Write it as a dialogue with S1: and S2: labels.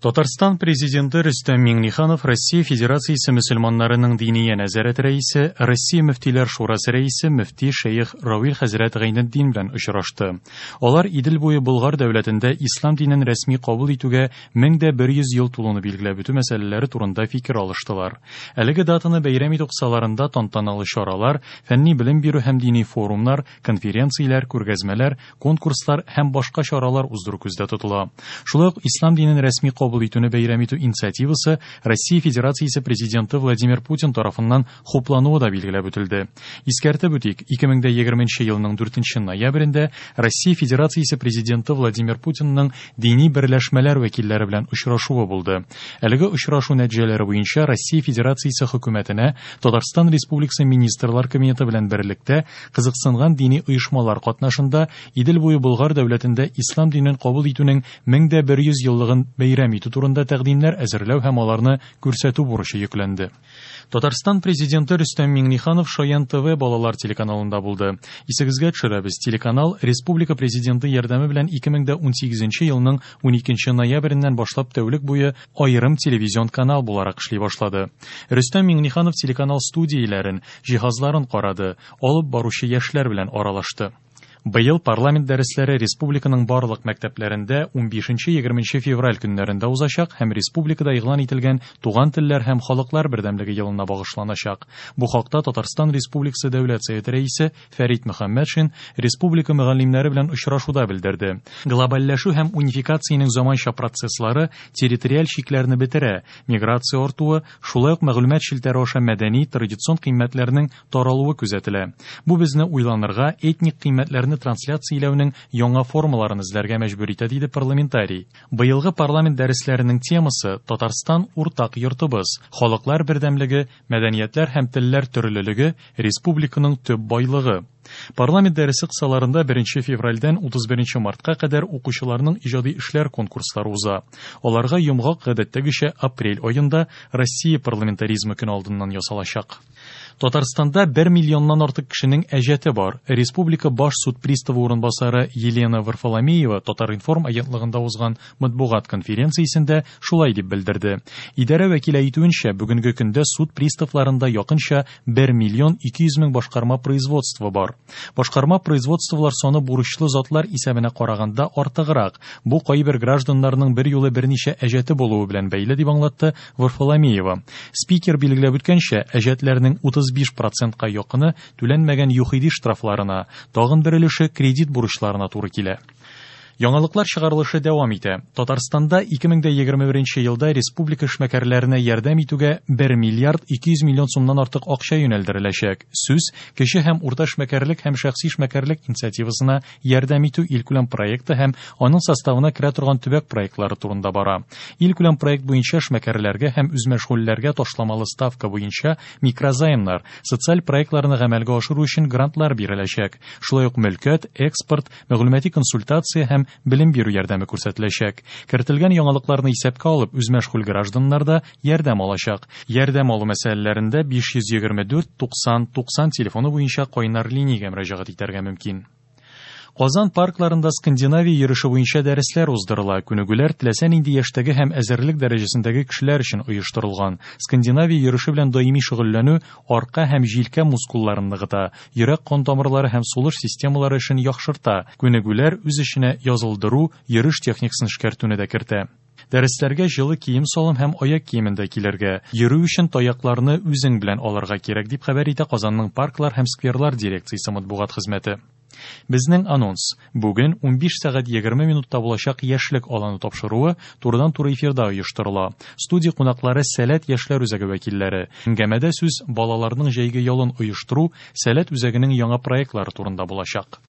S1: Татарстан Президенты Рөстәм Миңнеханов Россия Федерациясе мөселманнарының диния нәзарәте рәисе, Россия мөфтиләр шурасы рәисе мөфти шәех Равил хәзрәт Гайнетдин белән очрашты. Алар Идел буе Болгар дәүләтендә ислам динен рәсми кабул итүгә 1100 ел тулуны билгеләп үтү мәсьәләләре турында фикер алыштылар. Әлеге датаны бәйрәм итү кысаларында тантаналы чаралар, фәнни белем бирү һәм дини форумнар, конференцияләр, күргәзмәләр, конкурслар һәм башка чаралар уздыру күздә тотыла. Шулай ук ислам динен рәсми кабул итүне бәйрәм итү инициативасы Россия Федерациясе Президенты Владимир Путин тарафыннан хуплануы да билгеләп үтелде. Искәртеп үтик, 2020 елның 4 ноябрендә Россия Федерациясе Президенты Владимир Путинның дини берләшмәләр вәкилләре белән очрашуы булды. Әлеге очрашу нәтиҗәләре буенча Россия Федерациясе хөкүмәтенә Татарстан Республикасы Министрлар Кабинеты белән берлектә кызыксынган дини оешмалар катнашында Идел буе Болгар дәүләтендә ислам динен кабул итүнең 1100 еллыгын бәйрәм итү турында тәкъдимнәр әзерләү һәм аларны күрсәтү бурычы йөкләнде. Татарстан Президенты Рөстәм Миңнеханов Шаян ТВ балалар телеканалында булды. Исегезгә төшерәбез, телеканал республика Президенты ярдәме белән 2018 елның 12 ноябреннән башлап тәүлек буе аерым телевизион канал буларак эшли башлады. Рөстәм Миңнеханов телеканал студияләрен, җиһазларын карады, алып баручы яшьләр белән аралашты. Быел парламент дәресләре республиканың барлык мәктәпләрендә 15-20 февраль көннәрендә узачак һәм республикада игълан ителгән Туган телләр һәм халыклар бердәмлеге елына багышланачак. Бу хакта Татарстан Республикасы Дәүләт Советы рәисе Фәрит Мөхәммәтшин республика мөгаллимнәре белән очрашуда белдерде. Глобальләшү һәм унификациянең заманча процесслары территориаль чикләрне бетерә, миграция артуы, шулай ук мәгълүмат челтәре аша мәдәни, традицион кыйммәтләрнең таралуы күзәтелә. Бу безне уйланырга, этник кыйммәтләрне трансляцияләүнең яңа формаларын эзләргә мәҗбүр итә, диде парламентарий. Быелгы парламент дәресләренең темасы Татарстан уртак йортыбыз, халыклар бердәмлеге, мәдәниятләр һәм телләр төрлелеге, республиканың төп байлыгы. Парламент дәресе кысаларында 1 февральдән 31 мартка кадәр укучыларның иҗади эшләр конкурслары уза. Аларга йомгак гадәттәгечә апрель аенда Россия парламентаризмы көне алдыннан ясалачак. Татарстанда 1 миллионнан артык кешенең әҗәте бар. Республика баш суд приставы урынбасары Елена Варфоломеева Татар-информ агентлыгында узган матбугат конференциясендә шулай дип белдерде. Идарә вәкиле әйтүенчә, бүгенге көндә суд приставларында якынча 1 миллион 200 мең башкарма производство бар. Башкарма производстволар саны бурычлы затлар исәбенә караганда артыграк. Бу кайбер гражданнарның бер юлы берничә әҗәте булуы белән бәйле дип аңлатты Варфоломеева. Спикер билгеләп үткәнчә, әҗәтләрнең 35%-ка якыны түләнмәгән ЮХИДИ штрафларына, тагын бер өлеше кредит бурычларына туры килә. Яңалыклар чыгарылышы дәвам итә. Татарстанда 2021 елда республика эшмәкәрләренә ярдәм итүгә 1 миллиард 200 миллион сумнан артык акча юнәлдереләчәк. Сүз кече һәм урта эшмәкәрлек һәм шәхси эшмәкәрлек инициативасына ярдәм итү илкүләм проекты һәм аның составына керә торган төбәк проектлары турында бара. Илкүләм проект буенча эшмәкәрләргә һәм үзмәшгульләргә ташламалы ставка буенча микрозаймнар, социаль проектларны гамәлгә ашыру өчен грантлар биреләчәк. Шулай ук мөлкәт, экспорт, мәгълүмати консультация һәм белем бирү ярдәме күрсәтеләчәк. Кертелгән яңалыкларны исәпкә алып, үзмәшгуль гражданнар да ярдәм алачак. Ярдәм алу мәсьәләләрендә 524 90 90 телефоны буенча кайнар линиягә мөрәҗәгать итәргә мөмкин. Казан паркларында Скандинавия йөреше буенча дәресләр уздырыла. Күнегүләр теләсә нинди яшьтәге һәм әзерлек дәрәҗәсендәге кешеләр өчен оештырылган. Скандинавия йөреше белән даими шөгыльләнү арка һәм җилкә мускулларын ныгыта, йөрәк-кан тамырлары һәм сулыш системалары эшен яхшырта. Күнегүләр үз эченә язылдыру, йөреш техникасын эшкәртүне дә кертә. Дәресләргә җылы кием-салым һәм аяк киемендә килергә, йөрү өчен таякларны үзең белән алырга кирәк, дип хәбәр итә Казанның парклар һәм скверлар дирекциясе матбугат хезмәте. Безнең анонс. Бүген 15 сәгать 20 минутта булачак Яшьлек аланы тапшыруы турыдан-туры эфирда оештырыла. Студия кунаклары Сәләт яшьләр үзәге вәкилләре. Әңгәмәдә сүз балаларның җәйге ялын оештыру, Сәләт үзәгенең яңа проектлары турында булачак.